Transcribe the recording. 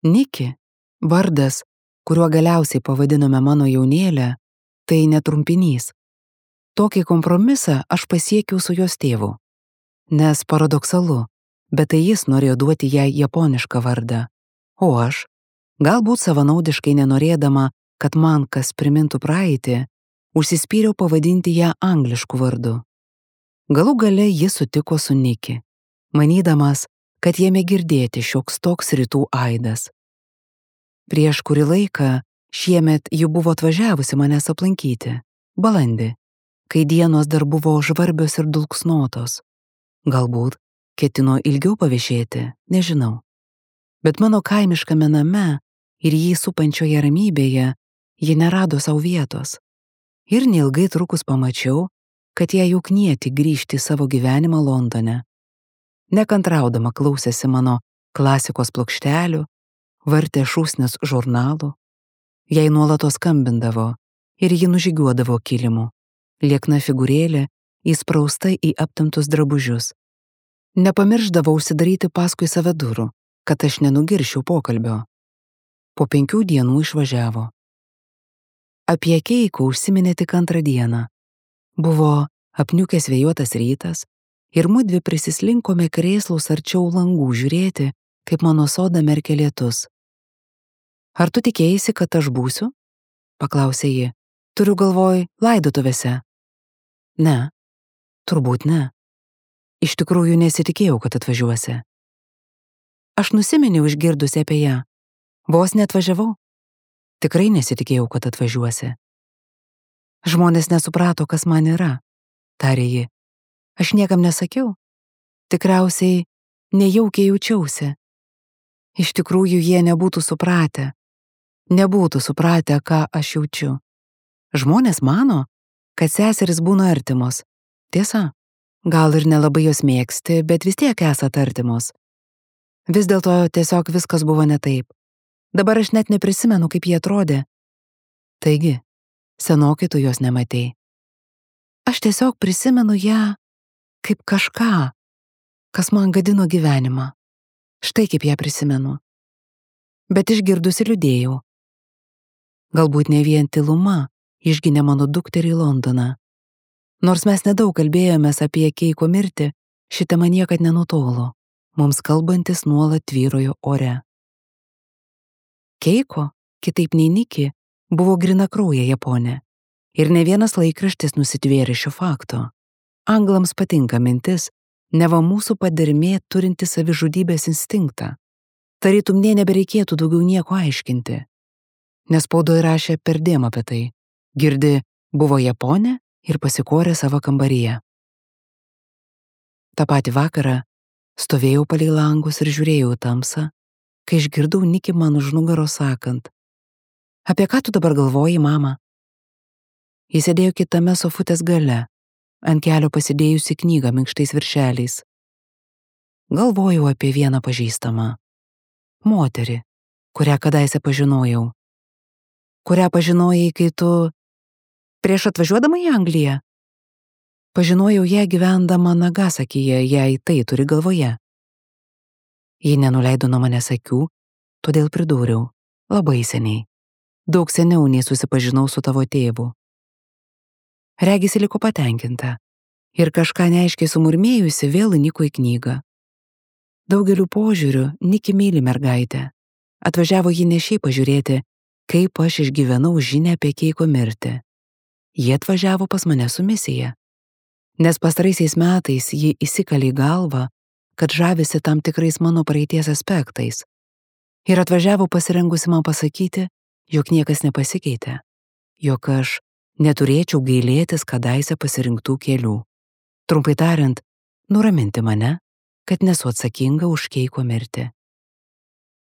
Niki, vardas, kuriuo galiausiai pavadinome mano jaunėlę, tai netrumpinys. Tokį kompromisą aš pasiekiau su jos tėvu. Nes paradoksalu, bet tai jis norėjo duoti jai japonišką vardą, o aš, galbūt savanaudiškai nenorėdama, kad man kas primintų praeitį, užsispyriau pavadinti ją anglišku vardu. Galų gale jis sutiko su Niki, manydamas, kad jame girdėti šioks toks rytų aidas. Prieš kurį laiką šiemet ji buvo atvažiavusi manęs aplankyti, balandį, kai dienos dar buvo žvarbios ir dulksnotos. Galbūt ketino ilgiau paviešėti, nežinau. Bet mano kaimiškame name ir jį supančioje ramybėje ji nerado savo vietos. Ir neilgai trukus pamačiau, kad ją jau knieti grįžti į savo gyvenimą Londone. Nekantraudama klausėsi mano klasikos plokštelių, vartė šūsnis žurnalų. Jai nuolatos skambindavo ir ji nužygiuodavo kilimu, liekna figūrėlė įsprausta į aptemptus drabužius. Nepamirždavo užsidaryti paskui save durų, kad aš nenugiršiau pokalbio. Po 5 dienų išvažiavo. Apie Keiko užsiminė tik 2 dieną. Buvo apniukęs vėjuotas rytas ir mudvi prisislinkome krėslus arčiau langų žiūrėti, kaip mano sodą merkia lietus. Ar tu tikėjaisi, kad aš būsiu? Paklausė ji. Turiu galvoj laidotuvėse. Ne, turbūt ne. Iš tikrųjų nesitikėjau, kad atvažiuosi. Aš nusiminiau išgirdusi apie ją. Vos neatvažiavau. Tikrai nesitikėjau, kad atvažiuosi. Žmonės nesuprato, kas man yra, tarė ji. Aš niekam nesakiau. Tikriausiai nejaukiai jaučiausi. Iš tikrųjų jie nebūtų supratę, ką aš jaučiu. Žmonės mano, kad seserys būna artimos. Tiesa, gal ir nelabai jos mėgsti, bet vis tiek esat artimos. Vis dėlto tiesiog viskas buvo ne taip. Dabar aš net neprisimenu, kaip jie atrodė. Taigi, senokai tu jos nematei. Aš tiesiog prisimenu ją kaip kažką, kas man gadino gyvenimą. Štai kaip ją prisimenu. Bet išgirdusi liūdėjau. Galbūt ne vien tyluma išginė mano dukterį į Londoną. Nors mes nedaug kalbėjomės apie Keiko mirtį, ši tema niekad nenutolo, mums kalbantis nuolat tvyrojo ore. Keiko, kitaip nei Niki, buvo grynakraujė Japonė. Ir ne vienas laikraštis nusitvėrė šio fakto. Anglams patinka mintis, neva mūsų padermė turinti savižudybės instinktą. Tarytum nė nebereikėtų daugiau nieko aiškinti. Nes spaudoje rašė perdėm apie tai. Girdi, buvo Japonė ir pasikorė savo kambaryje. Ta patį vakarą stovėjau palei langus ir žiūrėjau į tamsą, kai išgirdau Niki man už nugaros sakant: Apie ką tu dabar galvoji, mama? Jis sėdėjo kitame sofutės gale, ant kelio pasidėjusi knygą minkštais viršeliais. Galvojau apie vieną pažįstamą. Moterį, kurią kadaise pažinojau. Kurią pažinojai, kai tu... Prieš atvažiuodama į Angliją? Pažinojau ją gyvendama Nagasakyje, jei tai turi galvoje. Ji nenuleido nuo manęs akių, todėl pridūriau: labai seniai. Daug seniau nei susipažinau su tavo tėvu. Regis liko patenkinta ir kažką neaiškiai sumurmėjusi vėl įniko į knygą. Daugeliu požiūrių Niki myli mergaitę. Atvažiavo ji ne šiaip pažiūrėti, kaip aš išgyvenau žinią apie Keiko mirtį. Jie atvažiavo pas mane su misija. Nes pastaraisiais metais ji įsikalė į galvą, kad žavisi tam tikrais mano praeities aspektais. Ir atvažiavo pasirengusi man pasakyti, jog niekas nepasikeitė, jog aš neturėčiau gailėtis kadaise pasirinktų kelių. Trumpai tariant, nuraminti mane, kad nesu atsakinga už Keiko mirtį.